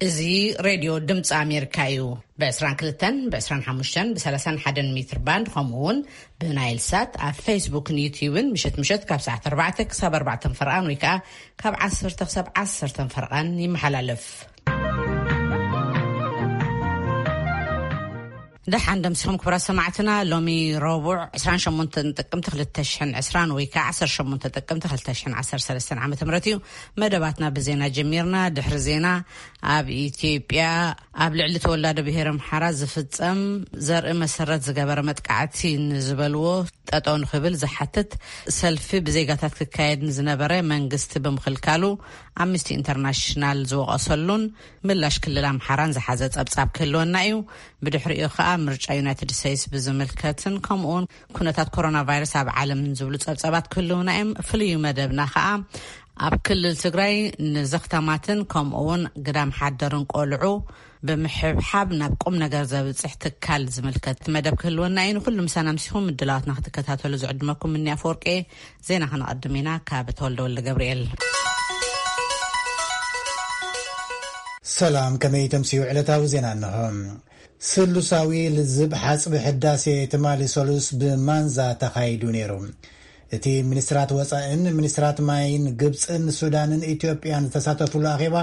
እዚ ሬድዮ ድምፂ ኣሜሪካ እዩ። ብ22፣ ብ25፣ ብ31 ሜትር ባንድ፣ ከምኡ እውን ብናይል ሳት ኣብ ፌስቡክን ዩትዩብን ምሸት ምሸት ካብ ሰዓት ኣርባዕተ ክሳብ ኣርባዕተ ፈርቓን ወይ ከዓ ካብ ዓሰርተ ክሳብ ዓሰርተ ፈርቓን ይመሓላለፍ። ደሓን ደምሲኹም ክቡራት ሰማዕትና። ሎሚ ረቡዕ ዕስራን ሸሞንተን ጥቅምቲ ክልተ ሽሕን ዕስራን ወይ ከዓ ዓሰርተ ሸሞንተ ጥቅምቲ ክልተ ሽሕን ዓሰርተ ሰለስተን ዓመተ ምህረት እዩ። መደባትና ብዜና ጀሚርና። ድሕሪ ዜና ኣብ ኢትዮጵያ ኣብ ልዕሊ ተወላዶ ብሄር ኣምሓራ ዝፍጸም ዘርኢ መሰረት ዝገበረ መጥቃዕቲ ንዝበልዎ ጠጠው ንክብል ዝሓትት ሰልፊ ብዜጋታት ክካየድ ንዝነበረ መንግስቲ ብምኽልካሉ ኣምነስቲ ኢንተርናሽናል ዝወቐሰሉን ምላሽ ክልል ኣምሓራን ዝሓዘ ጸብጻብ ክህልወና እዩ። ብድሕሪኡ ከኣ ምርጫ ዩናይትድ ስቴትስ ብዝምልከትን ከምኡውን ኩነታት ኮሮና ቫይረስ ኣብ ዓለም ዝብሉ ጸብጻባት ክህልውና እዮም። ፍሉይ መደብና ከኣ ኣብ ክልል ትግራይ ንዘኽታማትን ከምኡውን ግዳም ሓደርን ቆልዑ ብምሕብሓብ ናብ ቁም ነገር ዘብጽሕ ትካል ዝምልከት መደብ ክህልወና እዩ። ንኩሉ ምሳና ምሲኹም ምድላዋትና ክትከታተሉ ዝዕድመኩም ምኒ ኣፈወርቂ። ዜና ከነቐድም ኢና ካብ ተወልደ ወልደ ገብርኤል። ሰላም፣ ከመይ ተምስዩ? ዕለታዊ ዜና እንሆ። ስሉሳዊ ልዝብ ሓጽቢ ሕዳሴ ትማሊ ሰሉስ ብማንዛ ተኻይዱ ነይሩ። እቲ ሚኒስትራት ወጻእን ሚኒስትራት ማይን ግብጽን ሱዳንን ኢትዮጵያን ዝተሳተፉሉ ኣኼባ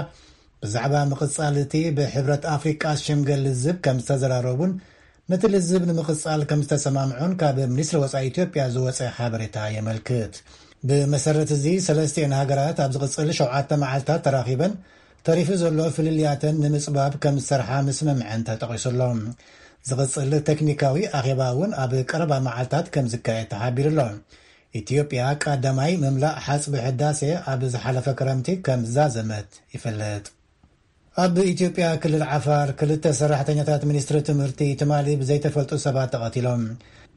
ብዛዕባ ምቕጻል እቲ ብሕብረት ኣፍሪቃ ዝሽምገል ልዝብ ከም ዝተዘራረቡን ነቲ ልዝብ ንምቕጻል ከም ዝተሰማምዑን ካብ ሚኒስትሪ ወጻኢ ኢትዮጵያ ዝወጸ ሓበሬታ የመልክት። ብመሰረት እዚ ሰለስቲኤን ሃገራት ኣብ ዝቕጽል ሸውዓተ መዓልታት ተራኺበን ተሪፉ ዘሎ ፍልልያተን ንምጽባብ ከም ዝሰርሓ ምስምምዐን ተጠቒሱ ኣሎ። ዝቕጽል ቴክኒካዊ ኣኼባ እውን ኣብ ቀረባ መዓልታት ከም ዝካየድ ተሓቢሩ ኣሎ። ኢትዮጵያ ቀዳማይ ምምላእ ሓጽቢ ሕዳሴ ኣብ ዝሓለፈ ክረምቲ ከም ዝዛዘመት ይፍለጥ። ኣብ ኢትዮጵያ ክልል ዓፋር ክልተ ሰራሕተኛታት ሚኒስትሪ ትምህርቲ ትማሊ ብዘይተፈልጡ ሰባት ተቐቲሎም።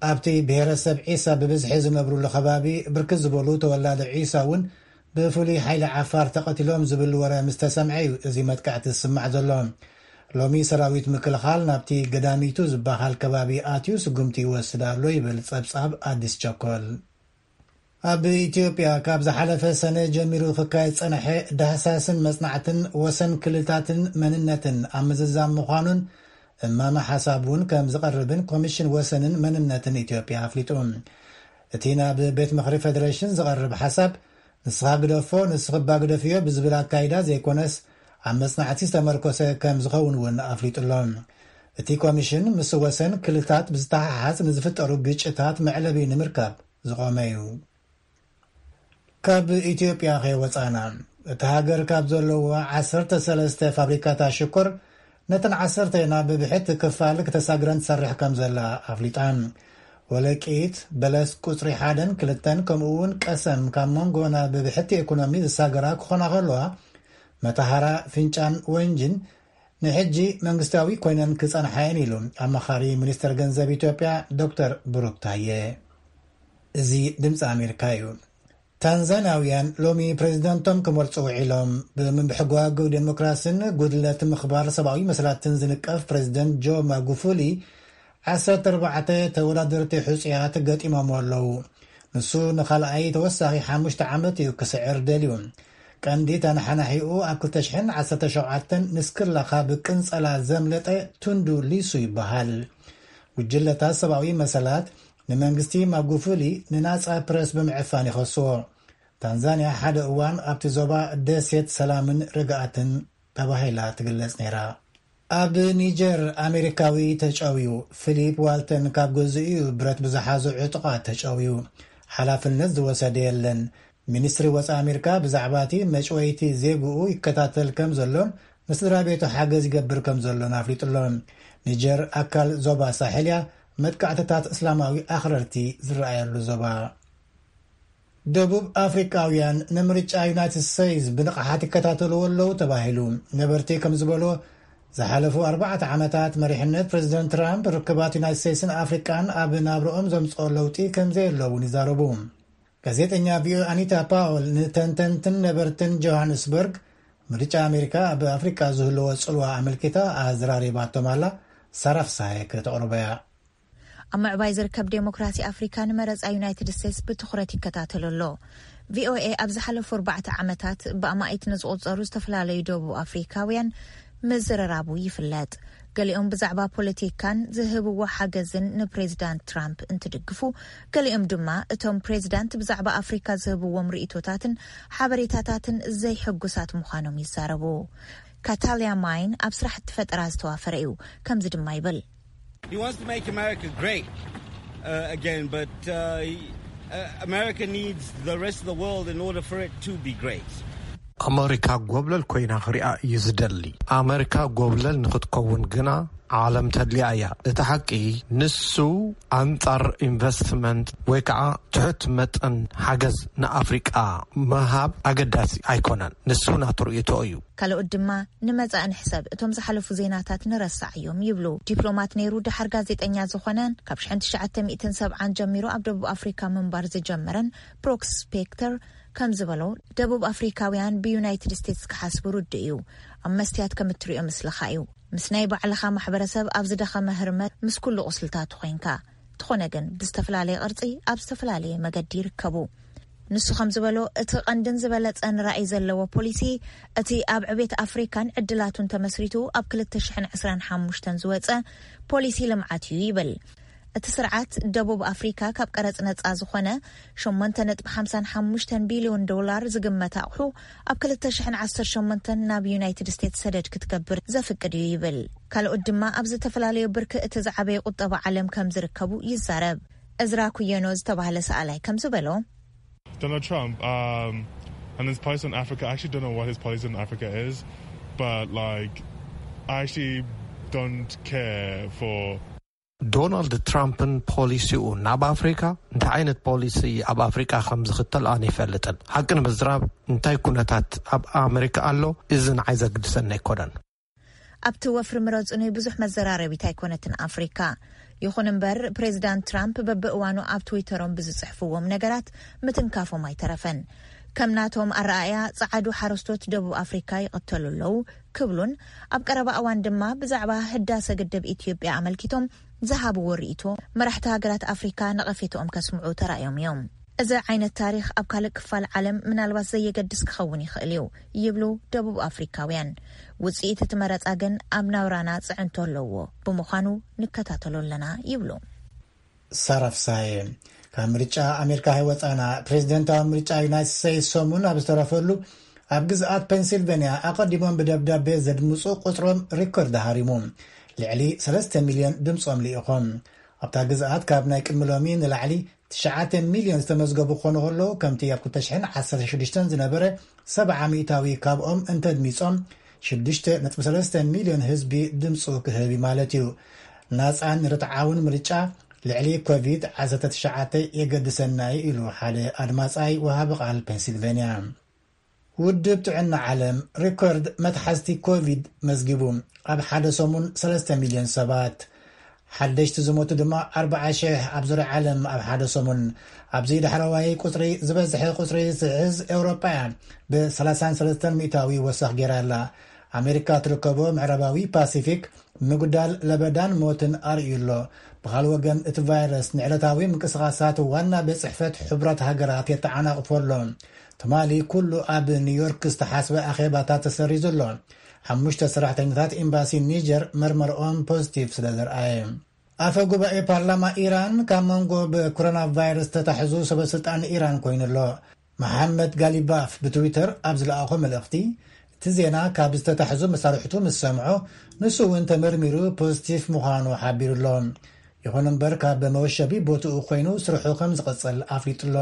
ኣብቲ ብሄረሰብ ዒሳ ብብዝሒ ዝነብሩሉ ከባቢ ብርክት ዝበሉ ተወላዶ ዒሳ እውን ብፍሉይ ሓይሊ ዓፋር ተቐቲሎም ዝብል ወረ ምስ ተሰምዐ እዩ እዚ መጥቃዕቲ ዝስማዕ ዘሎ። ሎሚ ሰራዊት ምክልኻል ናብቲ ገዳሚቱ ዝበሃል ከባቢ ኣትዩ ስጉምቲ ይወስድ ኣሎ ይብል ጸብጻብ ኣዲስ ቸኮል። ኣብ ኢትዮጵያ ካብ ዝሓለፈ ሰነ ጀሚሩ ክካየድ ዝጸንሐ ዳህሳስን መጽናዕትን ወሰን ክልልታትን መንነትን ኣብ ምዝዛም ምዃኑን እማመ ሓሳብ እውን ከም ዝቐርብን ኮሚሽን ወሰንን መንነትን ኢትዮጵያ ኣፍሊጡ። እቲ ናብ ቤት ምኽሪ ፌዴሬሽን ዝቐርብ ሓሳብ ንስኻ ግደፎ፣ ንስኽባ ግደፍዮ ብዝብል ኣካይዳ ዘይኮነስ ኣብ መጽናዕቲ ዝተመርኮሰ ከም ዝኸውን እውን ኣፍሊጡ ኣሎ። እቲ ኮሚሽን ምስ ወሰን ክልልታት ብዝተሓሓዝ ንዝፍጠሩ ግጭታት መዕለቢ ንምርካብ ዝቖመ እዩ። ካብ ኢትዮጵያ ከይወጻና፣ እታ ሃገር ካብ ዘለዋ ዓሰርተ ሰለስተ ፋብሪካታት ሽኮር ነተን ዓሰርተ ናብ ብብሕቲ ክፋል ክተሳግረን ትሰርሕ ከም ዘላ ኣፍሊጣ። ወለቂት፣ በለስ ቁጽሪ ሓደን ክልተን ከምኡ እውን ቀሰም ካብ መንጎ ናብ ብብሕቲ ኢኮኖሚ ዝሳገራ ክኾና ከለዋ፣ መተሃራ፣ ፍንጫን ወንጅን ንሕጂ መንግስታዊ ኮይነን ክጸንሓ እየን ኢሉ ኣማኻሪ ሚኒስትር ገንዘብ ኢትዮጵያ ዶክተር ብሩክ ታየ። እዚ ድምፂ ኣሜሪካ እዩ። ታንዛንያውያን ሎሚ ፕሬዚደንቶም ክመርፁ ውዒሎም። ብምብሕጓግ ዴሞክራሲን ጉድለት ምኽባር ሰብኣዊ መሰላትን ዝንቀፍ ፕሬዚደንት ጆ ማጉፉሊ ዓሰርተ ኣርባዕተ ተወዳደርቲ ሕፁያት ገጢሞም ኣለዉ። ንሱ ንኻልኣይ ተወሳኺ ሓሙሽተ ዓመት እዩ ክስዕር ደልዩ። ቀንዲ ተነሓናሒኡ ኣብ ክልተ ሽሕን ዓሰርተ ሸውዓተን ንስክላ ካብ ቅንጸላ ዘምለጠ ቱንዱ ሊሱ ይበሃል። ጉጅለታት ሰብኣዊ መሰላት ንመንግስቲ ማጉፉሊ ንናጻ ፕረስ ብምዕፋን ይኸስዎ። ታንዛንያ ሓደ እዋን ኣብቲ ዞባ ደሴት ሰላምን ርግኣትን ተባሂላ ትግለጽ ነይራ። ኣብ ኒጀር ኣሜሪካዊ ተጨውዩ። ፊሊፕ ዋልተን ካብ ገዝኡ እዩ ብረት ብዝሓዙ ዕጡቓት ተጨውዩ። ሓላፍነት ዝወሰደ የለን። ሚኒስትሪ ወፃኢ ኣሜሪካ ብዛዕባ እቲ መጭወይቲ ዜግኡ ይከታተል ከም ዘሎን ንስድራ ቤቱ ሓገዝ ይገብር ከም ዘሎን ኣፍሊጡ ኣሎ። ኒጀር ኣካል ዞባ ሳሕል እያ። መጥቃዕትታት እስላማዊ ኣኽረርቲ ዝረኣየሉ ዞባ። ደቡብ ኣፍሪቃውያን ንምርጫ ዩናይትድ ስቴትስ ብንቕሓት ይከታተልዎ ኣለዉ ተባሂሉ። ነበርቲ ከም ዝበሎ፣ ዝሓለፉ ኣርባዕተ ዓመታት መሪሕነት ፕሬዚደንት ትራምፕ ርክባት ዩናይትድ ስቴትስን ኣፍሪቃን ኣብ ናብርኦም ዘምፅኦ ለውጢ ከም ዘየሎ እውን ይዛረቡ። ጋዜጠኛ ቪኦኤ ኣኒታ ፓውል ንተንተንትን ነበርትን ጆሃንስበርግ ምርጫ ኣሜሪካ ኣብ ኣፍሪቃ ዝህልዎ ጽልዋ ኣመልኪታ ኣዘራሪባቶም ኣላ። ሳራ ፍሳሐ ከተቕርቦ እያ። ኣብ ምዕባይ ዝርከብ ዴሞክራሲ ኣፍሪካ ንመረፃ ዩናይትድ ስቴትስ ብትኹረት ይከታተሎ ኣሎ። ቪኦኤ ኣብ ዝሓለፉ ኣርባዕተ ዓመታት ብኣማኢት ንዝቑጸሩ ዝተፈላለዩ ደቡብ ኣፍሪካውያን ምዝርራቡ ይፍለጥ። ገሊኦም ብዛዕባ ፖለቲካን ዝህብዎ ሓገዝን ንፕሬዚዳንት ትራምፕ እንትድግፉ፣ ገሊኦም ድማ እቶም ፕሬዚዳንት ብዛዕባ ኣፍሪካ ዝህብዎም ርእይቶታትን ሓበሬታታትን ዘይሕጉሳት ምዃኖም ይዛረቡ። ካታሊያ ማይን ኣብ ስራሕቲ ፈጠራ ዝተዋፈረ እዩ። ከምዚ ድማ ይብል። He wants to make America great uh, again, but uh, he, uh, America needs the rest of the world in order for it to be great. ኣመሪካ ጎብለል ኮይና ክሪኣ እዩ ዝደሊ። ኣመሪካ ጎብለል ንክትከውን ግና ዓለም ተድልያ እያ። እቲ ሓቂ፣ ንሱ ኣንጻር ኢንቨስትመንት ወይ ከዓ ትሑት መጠን ሓገዝ ንኣፍሪቃ ምሃብ ኣገዳሲ ኣይኮነን። ንሱ ናቱ ርእይቶ እዩ። ካልኦት ድማ፣ ንመጻኢ ንሕሰብ፣ እቶም ዝሓለፉ ዜናታት ንረሳዕ እዮም ይብሉ። ዲፕሎማት ነይሩ፣ ድሓር ጋዜጠኛ ዝኾነን ካብ ሽሕን ትሽዓተ ሚእትን ሰብዓን ጀሚሩ ኣብ ደቡብ ኣፍሪካ ምንባር ዝጀመረን ብሮክስ ስፔክተር ከም ዝበሎ፣ ደቡብ ኣፍሪካውያን ብዩናይትድ ስቴትስ ክሓስቡ ርዱእ እዩ። ኣብ መስትያት ከም እትሪኦ ምስልኻ እዩ። ምስ ናይ ባዕልኻ ማሕበረሰብ ኣብ ዝደኸመ ህርመት፣ ምስ ኩሉ ቁስልታቱ ኮይንካ። ትኾነ ግን ብዝተፈላለየ ቅርጺ ኣብ ዝተፈላለየ መገዲ ይርከቡ። ንሱ ከም ዝበሎ፣ እቲ ቀንድን ዝበለጸን ራእይ ዘለዎ ፖሊሲ፣ እቲ ኣብ ዕቤት ኣፍሪካን ዕድላቱን ተመስሪቱ ኣብ ክልተ ሽሕን ዕስራን ሓሙሽተን ዝወጸ ፖሊሲ ልምዓት እዩ ይብል። እቲ ስርዓት ደቡብ ኣፍሪካ ካብ ቀረጽ ነጻ ዝኾነ ሸሞንተ ነጥቢ ሓምሳን ሓሙሽተን ቢልዮን ዶላር ዝግመት ኣቑሑ ኣብ ክልተ ሽሕን ዓሰርተ ሸሞንተን ናብ ዩናይትድ ስቴትስ ሰደድ ክትገብር ዘፍቅድ እዩ ይብል። ካልኦት ድማ ኣብ ዝተፈላለዩ ብርኪ እቲ ዝዓበየ ቁጠባ ዓለም ከም ዝርከቡ ይዛረብ። እዝራ ኩየኖ ዝተባህለ ሰኣላይ ከም ዝበሎ፣ Donald Trump um, and his policy on Africa. I actually don't know what his policy on Africa is, but like, I actually don't care for ዶናልድ ትራምፕን ፖሊሲኡ ናብ ኣፍሪካ፣ እንታይ ዓይነት ፖሊሲ ኣብ ኣፍሪካ ከም ዝኽተል ኣነ ይፈልጥን። ሓቂ ንምዝራብ፣ እንታይ ኩነታት ኣብ ኣመሪካ ኣሎ፣ እዚ ንዓይ ዘግድሰኒ ኣይኮነን። ኣብቲ ወፍሪ ምረጹኒ ብዙሕ መዘራረቢት ኣይኮነትን ኣፍሪካ። ይኹን እምበር፣ ፕሬዚዳንት ትራምፕ በብእዋኑ ኣብ ትዊተሮም ብዝጽሕፍዎም ነገራት ምትንካፎም ኣይተረፈን። ከም ናቶም ኣረኣእያ፣ ጸዓዱ ሓረስቶት ደቡብ ኣፍሪካ ይቕተሉ ኣለዉ ክብሉን፣ ኣብ ቀረባ እዋን ድማ ብዛዕባ ህዳሰ ግድብ ኢትዮጵያ ኣመልኪቶም ዝሃብዎ ርእይቶ፣ መራሕቲ ሃገራት ኣፍሪካ ነቐፌትኦም ከስምዑ ተራእዮም እዮም። እዚ ዓይነት ታሪኽ ኣብ ካልእ ክፋል ዓለም ምናልባት ዘየገድስ ክኸውን ይኽእል እዩ ይብሉ ደቡብ ኣፍሪካውያን። ውጽኢት እቲ መረጻ ግን ኣብ ናብራና ጽዕንቶ ኣለዎ ብምዃኑ ንከታተሎ ኣለና ይብሉ። ሳራ ፍሳሐ። ካብ ምርጫ ኣሜሪካ ከይወፃና፣ ፕሬዚደንታዊ ምርጫ ዩናይትድ ስቴትስ ሰሙን ኣብ ዝተረፈሉ፣ ኣብ ግዝኣት ፔንሲልቬንያ ኣቐዲሞም ብደብዳቤ ዘድምፁ ቁፅሮም ሪኮርድ ሃሪሙ። ልዕሊ ሰለስተ ሚልዮን ድምፆም ልኢኾም። ኣብታ ግዝኣት ካብ ናይ ቅድሚ ሎሚ ንላዕሊ ትሽዓተ ሚልዮን ዝተመዝገቡ ክኾኑ ከለዉ፣ ከምቲ ኣብ ክልተ ሽሕን ዓሰርተ ሽዱሽተን ዝነበረ ሰብዓ ሚእታዊ ካብኦም እንተድሚፆም፣ ሽዱሽተ ነጥቢ ሰለስተ ሚልዮን ህዝቢ ድምፁ ክህብ እዩ ማለት እዩ። ናፃን ርትዓውን ምርጫ ልዕሊ ኮቪድ ዓሰርተ ትሽዓተ የገድሰና እዩ ኢሉ ሓደ ኣድማፃይ ወሃቢ ቃል ፔንሲልቬንያ። ውድብ ጥዕና ዓለም ሪኮርድ መትሓዝቲ ኮቪድ መዝጊቡ። ኣብ ሓደ ሰሙን ሰለስተ ሚልዮን ሰባት፣ ሓደሽቲ ዝሞቱ ድማ ኣርብዓ ሽሕ ኣብ ዙርያ ዓለም ኣብ ሓደ ሰሙን። ኣብዚ ዳሕረዋይ ቁፅሪ ዝበዝሐ ቁፅሪ ዝሕዝ ኤውሮጳ እያ፣ ብ ሰላሳን ሰለስተን ሚእታዊ ወሰኽ ገይራ ኣላ። ኣሜሪካ ትርከቦ ምዕራባዊ ፓሲፊክ ምጉዳል ለበዳን ሞትን ኣርእዩ ኣሎ። ብኻልእ ወገን፣ እቲ ቫይረስ ንዕለታዊ ምንቅስቓሳት ዋና ቤት ጽሕፈት ሕቡራት ሃገራት የተዓናቕፎ ኣሎ። ትማሊ ኩሉ ኣብ ኒውዮርክ ዝተሓስበ ኣኼባታት ተሰሪዙ ኣሎ። ሓሙሽተ ሰራሕተኛታት ኤምባሲ ኒጀር መርመርኦም ፖዚቲቭ ስለ ዘርኣየ። ኣፈ ጉባኤ ፓርላማ ኢራን ካብ መንጎ ብኮሮና ቫይረስ ተታሒዙ ሰበ ስልጣን ኢራን ኮይኑ ኣሎ። መሓመድ ጋሊባፍ ብትዊተር ኣብ ዝለኣኾ መልእኽቲ፣ እቲ ዜና ካብ ዝተታሕዙ መሳርሕቱ ምስ ሰምዖ፣ ንሱ እውን ተመርሚሩ ፖዚቲቭ ምዃኑ ሓቢሩ ኣሎ። ይኹን እምበር፣ ካብ መወሸቢ ቦትኡ ኮይኑ ስርሑ ከም ዝቕጽል ኣፍሊጡ ኣሎ።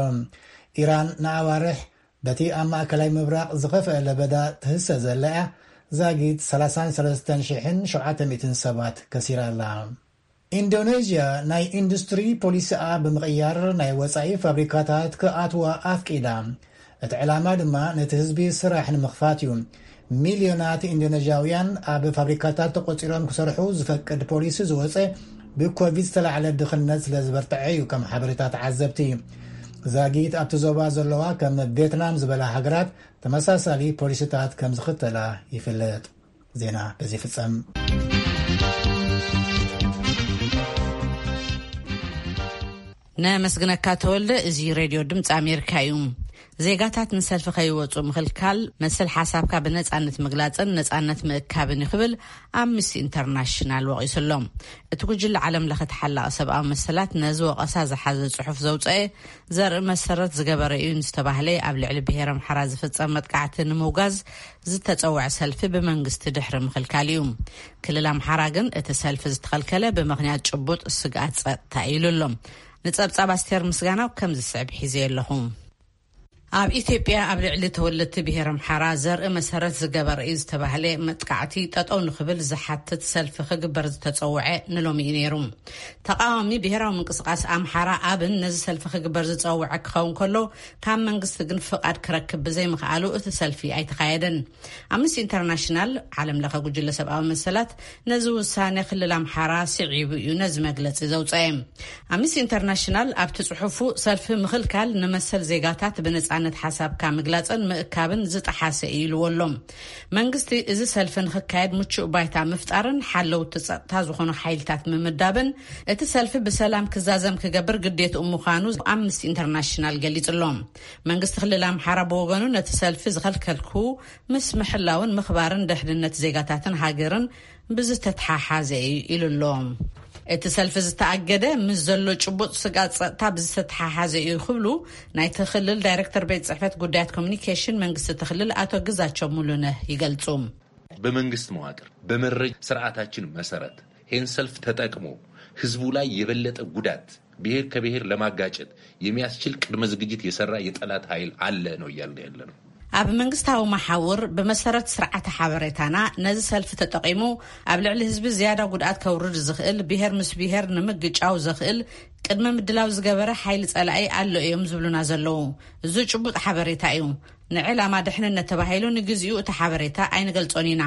ኢራን ንኣዋርሕ በቲ ኣብ ማእከላይ ምብራቕ ዝኸፍአ ለበዳ ትህሰ ዘላ እያ። ዛጊት ሰላሳን ሰለስተን ሽሕን ሸውዓተ ሚእትን ሰባት ከሲራ ኣላ። ኢንዶኔዥያ ናይ ኢንዱስትሪ ፖሊሲኣ ብምቕያር ናይ ወጻኢ ፋብሪካታት ክኣትዋ ኣፍቂዳ። እቲ ዕላማ ድማ ነቲ ህዝቢ ስራሕ ንምኽፋት እዩ። ሚልዮናት ኢንዶኔዥያውያን ኣብ ፋብሪካታት ተቖጺሮም ክሰርሑ ዝፈቅድ ፖሊሲ ዝወጸ ብኮቪድ ዝተላዕለ ድኽነት ስለ ዝበርትዐ እዩ፣ ከም ሓበሬታ ተዓዘብቲ። ዛጊት ኣብቲ ዞባ ዘለዋ ከም ቬትናም ዝበላ ሃገራት ተመሳሳሊ ፖሊሲታት ከም ዝኽተላ ይፍለጥ። ዜና በዚ ይፍጸም። ነመስግነካ ተወልደ። እዚ ሬድዮ ድምፂ ኣሜሪካ እዩ። ዜጋታት ንሰልፊ ከይወጹ ምኽልካል፣ መሰል ሓሳብካ ብነጻነት ምግላጽን ነጻነት ምእካብን እዩ ክብል ኣምነስቲ ኢንተርናሽናል ወቒሱ ኣሎ። እቲ ጉጅለ ዓለም ለኸ ተሓላቒ ሰብኣዊ መሰላት ነዚ ወቐሳ ዝሓዘ ጽሑፍ ዘውጸኤ ዘርኢ መሰረት ዝገበረ እዩ ንዝተባህለ ኣብ ልዕሊ ብሄር ኣምሓራ ዝፍጸም መጥቃዕቲ ንምውጋዝ ዝተጸውዐ ሰልፊ ብመንግስቲ ድሕሪ ምኽልካል እዩ። ክልል ኣምሓራ ግን እቲ ሰልፊ ዝተኸልከለ ብምኽንያት ጭቡጥ ስግኣት ጸጥታ እዩ ኢሉ ኣሎ። ንጸብጻብ ኣስቴር ምስጋናው ከም ዝስዕብ ሒዘ ኣለኹ። ኣብ ኢትዮጵያ ኣብ ልዕሊ ተወለድቲ ብሄር ኣምሓራ ዘርኢ መሰረት ዝገበረ እዩ ዝተባህለ መጥቃዕቲ ጠጠው ንኽብል ዝሓትት ሰልፊ ክግበር ዝተጸውዐ ንሎሚ እዩ ነይሩ። ተቃዋሚ ብሄራዊ ምንቅስቃስ ኣምሓራ ኣብን ነዚ ሰልፊ ክግበር ዝጸውዐ ክኸውን ከሎ፣ ካብ መንግስቲ ግን ፍቓድ ክረክብ ብዘይምኽኣሉ እቲ ሰልፊ ኣይተኻየደን። ኣምነስቲ ኢንተርናሽናል ዓለም ለኸ ጉጅለ ሰብኣዊ መሰላት ነዚ ውሳኔ ክልል ኣምሓራ ስዒቡ እዩ ነዚ መግለጺ ዘውጸኤ። ኣምነስቲ ኢንተርናሽናል ኣብቲ ጽሑፉ፣ ሰልፊ ምኽልካል ንመሰል ዜጋታት ብነጻነት ሓሳብካ ምግላጽን ምእካብን ዝጠሓሰ እዩ ኢልዎ ኣሎ። መንግስቲ እዚ ሰልፊ ንኽካየድ ምቹእ ባይታ ምፍጣርን ሓለውቲ ጸጥታ ዝኾኑ ሓይልታት ምምዳብን እቲ ሰልፊ ብሰላም ክዛዘም ክገብር ግዴትኡ ምዃኑ ኣምነስቲ ኢንተርናሽናል ገሊጹ ኣሎ። መንግስቲ ክልል ኣምሓራ ብወገኑ፣ ነቲ ሰልፊ ዝኸልከልኩ ምስ ምሕላውን ምኽባርን ድሕንነት ዜጋታትን ሃገርን ብዝተተሓሓዘ እዩ ኢሉ ኣሎ። እቲ ሰልፊ ዝተኣገደ ምስ ዘሎ ጭቡጥ ስግኣት ጸጥታ ብዝተተሓሓዘ እዩ ክብሉ ናይቲ ክልል ዳይሬክተር ቤት ጽሕፈት ጉዳያት ኮሚኒኬሽን መንግስቲ እቲ ክልል ኣቶ ግዛቸው ሙሉነህ ይገልጹ። በመንግስት መዋቅር በመረጃ ስርዓታችን መሰረት ይህን ሰልፍ ተጠቅሞ ህዝቡ ላይ የበለጠ ጉዳት ብሔር ከብሔር ለማጋጨት የሚያስችል ቅድመ ዝግጅት የሰራ የጠላት ኃይል አለ ነው እያልን ያለ ነው። ኣብ መንግስታዊ መሓውር ብመሰረት ስርዓተ ሓበሬታና ነዚ ሰልፊ ተጠቒሙ ኣብ ልዕሊ ህዝቢ ዝያዳ ጉድኣት ከውርድ ዝኽእል፣ ብሔር ምስ ብሔር ንምግጫው ዘኽእል ቅድመ ምድላው ዝገበረ ሓይሊ ጸላኢ ኣሎ እዮም ዝብሉና ዘለዉ። እዚ ጭቡጥ ሓበሬታ እዩ። ንዕላማ ድሕንነት ተባሂሉ ንግዚኡ እቲ ሓበሬታ ኣይንገልጾን ኢና።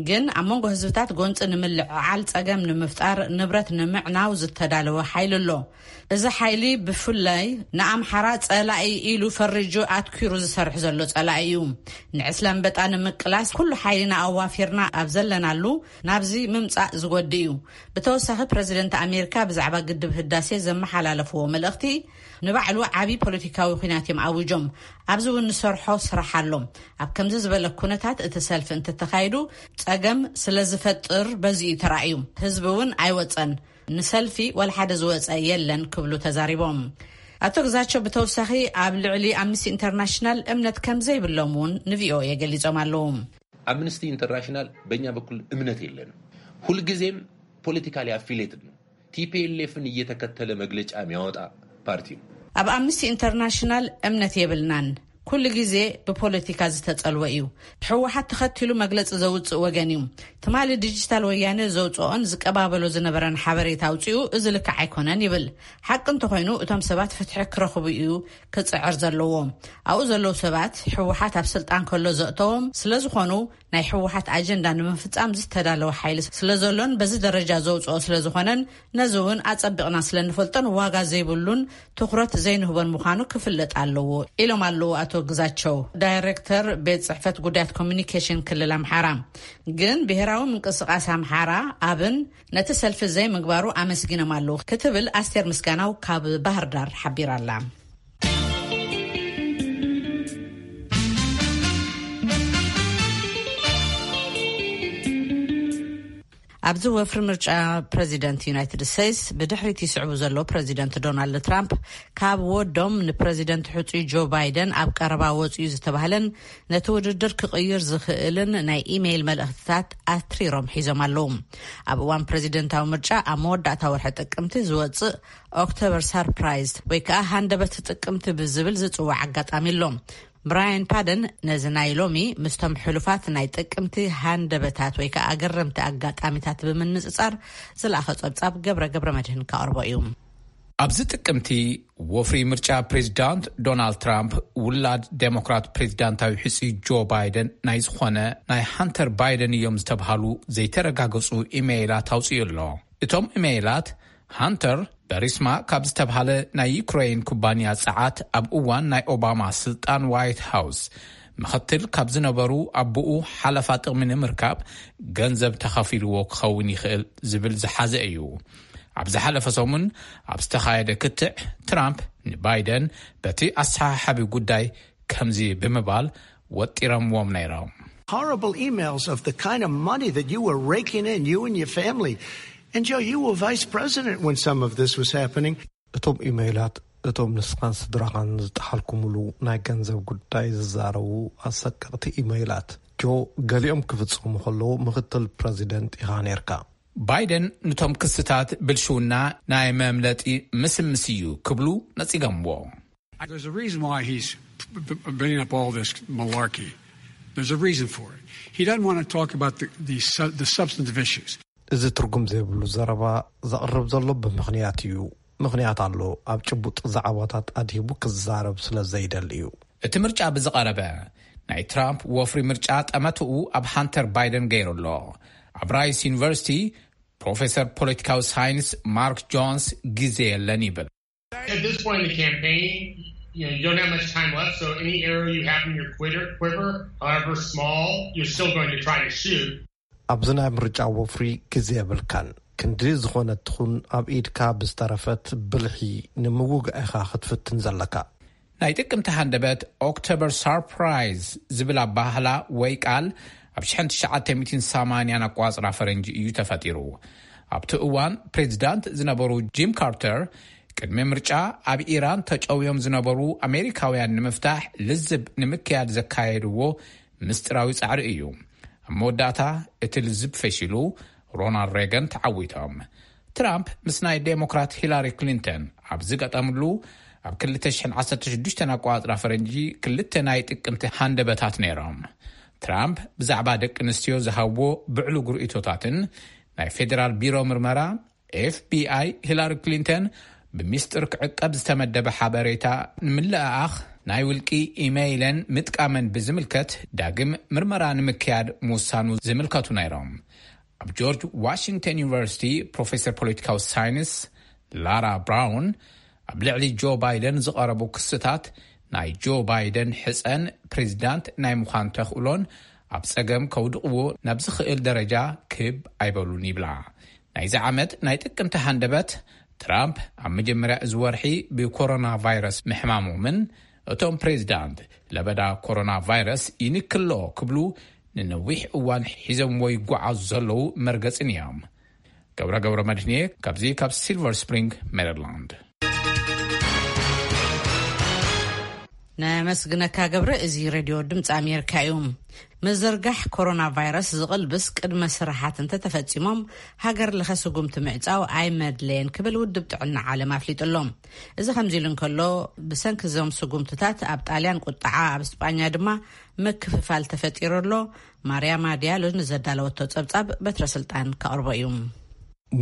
ግን ኣብ መንጎ ህዝብታት ጎንጺ ንምልዕዓል፣ ጸገም ንምፍጣር፣ ንብረት ንምዕናው ዝተዳለወ ሓይሊ ኣሎ። እዚ ሓይሊ ብፍላይ ንኣምሓራ ጸላኢ ኢሉ ፈሪጁ ኣትኪሩ ዝሰርሕ ዘሎ ጸላኢ እዩ። ንዕስለ ኣንበጣ ንምቅላስ ኩሉ ሓይልና ኣዋፊርና ኣብ ዘለናሉ ናብዚ ምምጻእ ዝጎድእ እዩ። ብተወሳኺ ፕረዚደንት ኣሜሪካ ብዛዕባ ግድብ ህዳሴ ዘመሓላለፍዎ መልእኽቲ ንባዕሉ ዓቢ ፖለቲካዊ ኲናት እዮም ኣዊጆም። ኣብዚ እውን ንሰርሖ ስራሕ ኣሎ። ኣብ ከምዚ ዝበለ ኩነታት እቲ ሰልፊ እንተተኻይዱ ጸገም ስለ ዝፈጥር በዚ እዩ ተራእዩ። ህዝቢ እውን ኣይወጸን። ንሰልፊ ዋላ ሓደ ዝወጸ የለን ክብሉ ተዛሪቦም። ኣቶ ግዛቸው ብተወሳኺ ኣብ ልዕሊ ኣምነስቲ ኢንተርናሽናል እምነት ከም ዘይብሎም እውን ንቪኦኤ ገሊጾም ኣለዉ። አምነስቲ ኢንተርናሽናል በእኛ በኩል እምነት የለንም። ሁልጊዜም ፖለቲካሊ አፊሌትድ ነው። ቲፒኤልኤፍን እየተከተለ መግለጫ የሚያወጣ ፓርቲ ነው። ኣብ ኣምነስቲ ኢንተርናሽናል እምነት የብልናን። ኩሉ ግዜ ብፖለቲካ ዝተጸልወ እዩ። ህወሓት ተኸቲሉ መግለጺ ዘውጽእ ወገን እዩ። ትማሊ ዲጂታል ወያነ ዘውጽኦን ዝቀባበሎ ዝነበረን ሓበሬታ ኣውጺኡ፣ እዚ ልክዕ ኣይኮነን ይብል። ሓቂ እንተኾይኑ፣ እቶም ሰባት ፍትሒ ክረኽቡ እዩ ክጽዕር ዘለዎ። ኣብኡ ዘለዉ ሰባት ህወሓት ኣብ ስልጣን ከሎ ዘእተዎም ስለ ዝኾኑ፣ ናይ ህወሓት ኣጀንዳ ንምፍጻም ዝተዳለወ ሓይሊ ስለ ዘሎን በዚ ደረጃ ዘውጽኦ ስለ ዝኾነን፣ ነዚ እውን ኣጸቢቕና ስለ እንፈልጦን ዋጋ ዘይብሉን ትኹረት ዘይንህቦን ምዃኑ ክፍለጥ ኣለዎ ኢሎም ኣለዉ ኣቶ ግዛቸው፣ ዳይሬክተር ቤት ጽሕፈት ጉዳያት ኮሚኒኬሽን ክልል ኣምሓራ። ግን ብሄራዊ ምንቅስቃስ ኣምሓራ ኣብን ነቲ ሰልፊ ዘይምግባሩ ኣመስጊኖም ኣለዉ ክትብል ኣስቴር ምስጋናው ካብ ባህር ዳር ሓቢራ ኣላ። ኣብዚ ወፍሪ ምርጫ ፕረዚደንት ዩናይትድ ስቴትስ ብድሕሪት ይስዕቡ ዘለዉ ፕረዚደንት ዶናልድ ትራምፕ፣ ካብ ወዶም ንፕረዚደንት ሕጹይ ጆ ባይደን ኣብ ቀረባ ወጽኡ ዝተባህለን ነቲ ውድድር ክቕይር ዝኽእልን ናይ ኢሜይል መልእኽትታት ኣትሪሮም ሒዞም ኣለዉ። ኣብ እዋን ፕረዚደንታዊ ምርጫ ኣብ መወዳእታ ወርሒ ጥቅምቲ ዝወጽእ ኦክቶበር ሳርፕራይዝ ወይ ከዓ ሃንደበት ጥቅምቲ ብዝብል ዝጽዋዕ ኣጋጣሚ ኣሎ። ብራያን ፓደን ነዚ ናይ ሎሚ ምስቶም ሕሉፋት ናይ ጥቅምቲ ሃንደበታት ወይ ከዓ ኣገረምቲ ኣጋጣሚታት ብምንጽጻር ዝለኣኸ ጸብጻብ ገብረ ገብረ መድህን ከቕርቦ እዩ። ኣብዚ ጥቅምቲ ወፍሪ ምርጫ ፕሬዚዳንት ዶናልድ ትራምፕ ውላድ ዴሞክራት ፕሬዚዳንታዊ ሕጹ ጆ ባይደን ናይ ዝኾነ ናይ ሃንተር ባይደን እዮም ዝተብሃሉ ዘይተረጋገጹ ኢሜይላት ኣውጽኡ ኣሎ። እቶም ኢሜይላት ሃንተር በሪስማ ካብ ዝተብሃለ ናይ ዩክሬን ኩባንያ ጸዓት ኣብ እዋን ናይ ኦባማ ስልጣን ዋይት ሃውስ ምኽትል ካብ ዝነበሩ ኣቦኡ ሓለፋ ጥቕሚ ንምርካብ ገንዘብ ተኸፊልዎ ክኸውን ይኽእል ዝብል ዝሓዘ እዩ። ኣብ ዝሓለፈ ሰሙን ኣብ ዝተኻየደ ክትዕ ትራምፕ ንባይደን በቲ ኣሰሓሓቢ ጉዳይ ከምዚ ብምባል ወጢረምዎም ነይሮም። Horrible emails of the kind of money that you were raking in, you and your family. And Joe, you were vice president when some of this was happening. እቶም ኢመይላት፣ እቶም ንስኻን ስድራኻን ዝጠሓልኩምሉ ናይ ገንዘብ ጉዳይ ዝዛረቡ ኣሰቀቕቲ ኢመይላት፣ ጆ፣ ገሊኦም ክፍጸሙ ከለዉ ምኽትል ፕረዚደንት ኢኻ ነርካ። ባይደን ንቶም ክስታት ብልሽውና ናይ መምለጢ ምስምስ እዩ ክብሉ ነጺገምዎ። There's a reason why he's bringing up all this malarkey. There's a reason for it. He doesn't want to talk about the, the, the substantive issues. እዚ ትርጉም ዘይብሉ ዘረባ ዘቕርብ ዘሎ ብምኽንያት እዩ። ምኽንያት ኣሎ። ኣብ ጭቡጥ ዛዕባታት ኣድሂቡ ክዛረብ ስለ ዘይደሊ እዩ። እቲ ምርጫ ብዝቐረበ፣ ናይ ትራምፕ ወፍሪ ምርጫ ጠመትኡ ኣብ ሃንተር ባይደን ገይሩ ኣሎ። ኣብ ራይስ ዩኒቨርሲቲ ፕሮፌሰር ፖለቲካዊ ሳይንስ ማርክ ጆንስ ግዜ የለን ይብል። At this point in the campaign, you know, you don't have much time left, so any arrow you have in your quiver, quiver, however small, you're still going to try to shoot. ኣብዚ ናይ ምርጫ ወፍሪ ግዜ የብልካን። ክንዲ ዝኾነ ትኹን ኣብ ኢድካ ብዝተረፈት ብልሒ ንምውጋእ ኢኻ ክትፍትን ዘለካ። ናይ ጥቅምቲ ሃንደበት ኦክቶበር ሳርፕራይዝ ዝብል ኣባህላ ወይ ቃል ኣብ ሽሕን ትሽዓተ ሚእትን ሰማንያን ኣቋጽራ ፈረንጂ እዩ ተፈጢሩ። ኣብቲ እዋን ፕሬዚዳንት ዝነበሩ ጂም ካርተር ቅድሚ ምርጫ ኣብ ኢራን ተጨውዮም ዝነበሩ ኣሜሪካውያን ንምፍታሕ ልዝብ ንምክያድ ዘካየድዎ ምስጢራዊ ጻዕሪ እዩ። ኣብ መወዳእታ እቲ ልዝብ ፈሺሉ፣ ሮናልድ ሬገን ተዓዊቶም። ትራምፕ ምስ ናይ ዴሞክራት ሂላሪ ክሊንተን ኣብ ዝገጠምሉ፣ ኣብ ክልተ ሽሕን ዓሰርተ ሽዱሽተን ኣቋጽራ ፈረንጂ ክልተ ናይ ጥቅምቲ ሃንደበታት ነይሮም። ትራምፕ ብዛዕባ ደቂ ኣንስትዮ ዝሃብዎ ብዕሉግ ርእይቶታትን ናይ ፌዴራል ቢሮ ምርመራ ኤፍቢኣይ ሂላሪ ክሊንተን ብሚስጥር ክዕቀብ ዝተመደበ ሓበሬታ ንምልእኣኽ ናይ ውልቂ ኢሜይለን ምጥቃመን ብዝምልከት ዳግም ምርመራ ንምክያድ ምውሳኑ ዝምልከቱ ነይሮም። ኣብ ጆርጅ ዋሽንግተን ዩኒቨርሲቲ ፕሮፌሰር ፖለቲካዊ ሳይንስ ላራ ብራውን ኣብ ልዕሊ ጆ ባይደን ዝቐረቡ ክስታት ናይ ጆ ባይደን ሕፀን ፕሬዚዳንት ናይ ምዃን ተኽእሎን ኣብ ጸገም ከውድቕዎ ናብ ዝኽእል ደረጃ ክብ ኣይበሉን ይብላ። ናይዚ ዓመት ናይ ጥቅምቲ ሃንደበት ትራምፕ ኣብ መጀመርያ እዚ ወርሒ ብኮሮና ቫይረስ ምሕማሞምን እቶም ፕሬዚዳንት ለበዳ ኮሮና ቫይረስ ይንክሎ ክብሉ ንነዊሕ እዋን ሒዞምዎ ይጓዓዙ ዘለዉ መርገጽን እዮም። ገብረ ገብረ መድህንየ ካብዚ ካብ ሲልቨር ስፕሪንግ ሜሪላንድ። ነመስግነካ ገብረ። እዚ ሬድዮ ድምፂ ኣሜሪካ እዩ። ምዝርጋሕ ኮሮና ቫይረስ ዝቕልብስ ቅድመ ስራሓት እንተተፈፂሞም ሃገር ለኸ ስጉምቲ ምዕፃው ኣይመድለየን ክብል ውድብ ጥዕና ዓለም ኣፍሊጡ ኣሎ። እዚ ከምዚ ኢሉ እንከሎ፣ ብሰንኪ እዞም ስጉምትታት ኣብ ጣልያን ቁጥዓ፣ ኣብ እስጳኛ ድማ ምክፍፋል ተፈጢሩ ኣሎ። ማርያማ ዲያሎ ንዘዳለወቶ ጸብጻብ በትረ ስልጣን ከቕርቦ እዩ።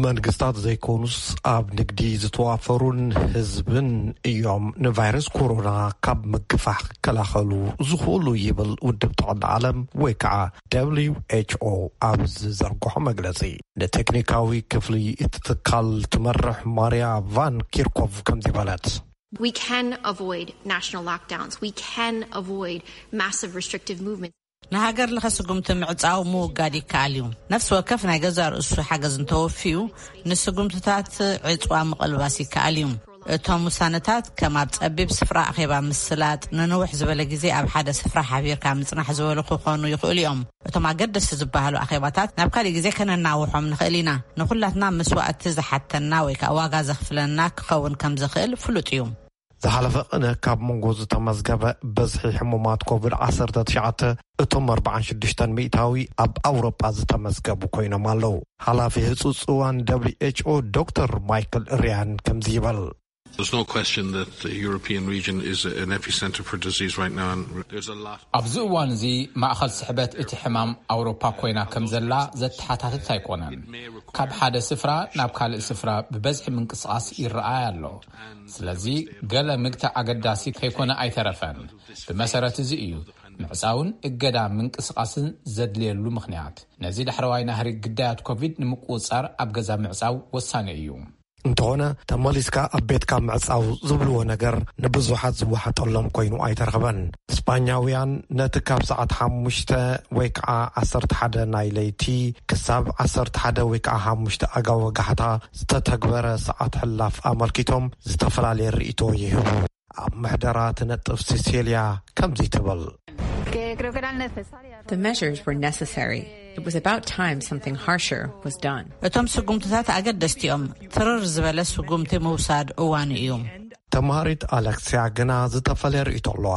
መንግስታት ዘይኮኑስ ኣብ ንግዲ ዝተዋፈሩን ህዝብን እዮም ንቫይረስ ኮሮና ካብ ምግፋሕ ክከላኸሉ ዝኽእሉ ይብል ውድብ ጥዕና ዓለም ወይ ከዓ ደብሊው ኤች ኦ ኣብ ዝዘርግሖ መግለጺ። ንቴክኒካዊ ክፍሊ እቲ ትካል ትመርሕ ማርያ ቫን ኪርኮቭ ከምዚ በለት። We can avoid national lockdowns. We can avoid massive restrictive movements. ንሃገር ለኸ ስጉምቲ ምዕጻው ምውጋድ ይከኣል እዩ። ነፍሲ ወከፍ ናይ ገዛእ ርእሱ ሓገዝ እንተወፍዩ፣ ንስጉምትታት ዕጽዋ ምቕልባስ ይከኣል እዩ። እቶም ውሳነታት ከም ኣብ ጸቢብ ስፍራ ኣኼባ ምስላጥ፣ ንንውሕ ዝበለ ግዜ ኣብ ሓደ ስፍራ ሓቢርካ ምጽናሕ ዝበሉ ክኾኑ ይኽእሉ እዮም። እቶም ኣገደስቲ ዝበሃሉ ኣኼባታት ናብ ካልእ ግዜ ከነናውሖም ንኽእል ኢና። ንኹላትና መስዋእቲ ዝሓተና ወይ ከኣ ዋጋ ዘኽፍለና ክኸውን ከም ዝኽእል ፍሉጥ እዩ። ዝሓለፈ ቅነ ካብ መንጎ ዝተመዝገበ በዝሒ ሕሙማት ኮቪድ ዓሰርተ ትሽዓተ እቶም ኣርባዓን ሽዱሽተን ሚእታዊ ኣብ ኣውሮጳ ዝተመዝገቡ ኮይኖም ኣለዉ። ሓላፊ ህጹጽ እዋን ደብሊው ኤች ኦ ዶክተር ማይክል ሪያን ከምዚ ይበል። There's no question that the European region is an epicenter for disease right now, and there's a lot. ኣብዚ እዋን እዚ ማእኸል ስሕበት እቲ ሕማም ኣውሮፓ ኮይና ከም ዘላ ዘተሓታትት ኣይኮነን። ካብ ሓደ ስፍራ ናብ ካልእ ስፍራ ብበዝሒ ምንቅስቓስ ይረኣይ ኣሎ። ስለዚ ገለ ምግታእ ኣገዳሲ ከይኮነ ኣይተረፈን። ብመሰረት እዚ እዩ ምዕጻውን እገዳ ምንቅስቓስን ዘድልየሉ ምኽንያት። ነዚ ዳሕረዋይ ናህሪ ግዳያት ኮቪድ ንምቁጽጻር ኣብ ገዛ ምዕጻው ወሳኒ እዩ። እንተኾነ ተመሊስካ ኣብ ቤትካ ምዕጻው ዝብልዎ ነገር ንብዙሓት ዝወሓጠሎም ኮይኑ ኣይተረኽበን። ስጳኛውያን ነቲ ካብ ሰዓት ሓሙሽተ ወይ ከዓ ዓሰርተ ሓደ ናይ ለይቲ ክሳብ ዓሰርተ ሓደ ወይ ከዓ ሓሙሽተ ኣጋ ወጋሕታ ዝተተግበረ ሰዓት ሕላፍ ኣመልኪቶም ዝተፈላለየ ርእይቶ ይህቡ። ኣብ ምሕደራ ትነጥፍ ሲሴልያ ከምዚ ትብል። The measures were necessary. It was about time something harsher was done. እቶም ስጉምትታት ኣገደስቲ እዮም። ትርር ዝበለ ስጉምቲ ምውሳድ እዋኑ እዩ። ተምሃሪት ኣለክስያ ግና ዝተፈለየ ርእይቶ ኣለዋ።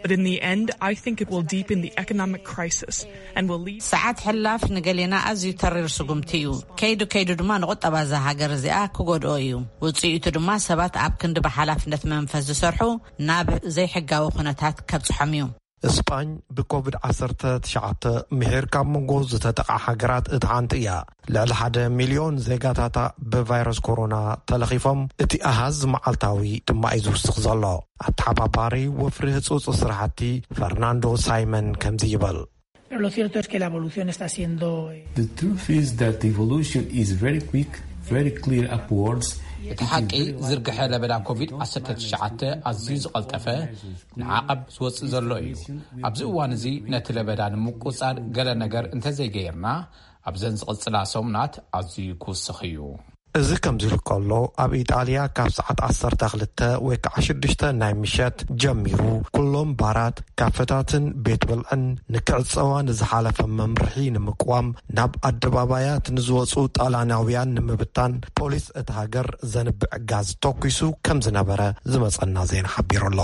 But in the end, I think it will deepen the economic crisis and will lead. ሰዓት ሕላፍ ንገሌና ኣዝዩ ተሪር ስጉምቲ እዩ። ከይዱ ከይዱ ድማ ንቁጠባ እዛ ሃገር እዚኣ ክጎድኦ እዩ። ውፅኢቱ ድማ ሰባት ኣብ ክንዲ ብሓላፍነት መንፈስ ዝሰርሑ ናብ ዘይሕጋዊ ኩነታት ከብፅሖም እዩ። እስጳኝ ብኮቪድ ዓሰርተ ትሽዓተ ምሒር ካብ መንጎ ዝተጠቓ ሃገራት እታ ሓንቲ እያ። ልዕሊ ሓደ ሚልዮን ዜጋታታ ብቫይረስ ኮሮና ተለኺፎም፣ እቲ ኣሃዝ መዓልታዊ ድማ እዩ ዝውስኽ ዘሎ። ኣተሓባባሪ ወፍሪ ህጹጽ ስራሕቲ ፈርናንዶ ሳይመን ከምዚ ይበል። Pero lo cierto es que la evolución está siendo... The truth is that the evolution is very quick, very clear upwards. እቲ ሓቂ ዝርግሐ ለበዳ ኮቪድ ዓሰርተ ትሽዓተ ኣዝዩ ዝቐልጠፈ ንዓቐብ ዝወፅእ ዘሎ እዩ። ኣብዚ እዋን እዚ ነቲ ለበዳ ንምቁፃር ገለ ነገር እንተዘይገይርና ኣብዘን ዝቕፅላ ሰሙናት ኣዝዩ ክውስኽ እዩ። እዚ ከምዚ ኢሉ ከሎ፣ ኣብ ኢጣልያ ካብ ሰዓት ዓሰርተ ክልተ ወይ ከዓ ሽዱሽተ ናይ ምሸት ጀሚሩ ኩሎም ባራት፣ ካፈታትን ቤት ብልዕን ንክዕፀዋ ንዝሓለፈ መምርሒ ንምቅዋም ናብ ኣደባባያት ንዝወፁ ጣልያናውያን ንምብታን ፖሊስ እቲ ሃገር ዘንብዕ ጋዝ ተኩሱ ከም ዝነበረ ዝመፀና ዜና ሓቢሩ ኣሎ።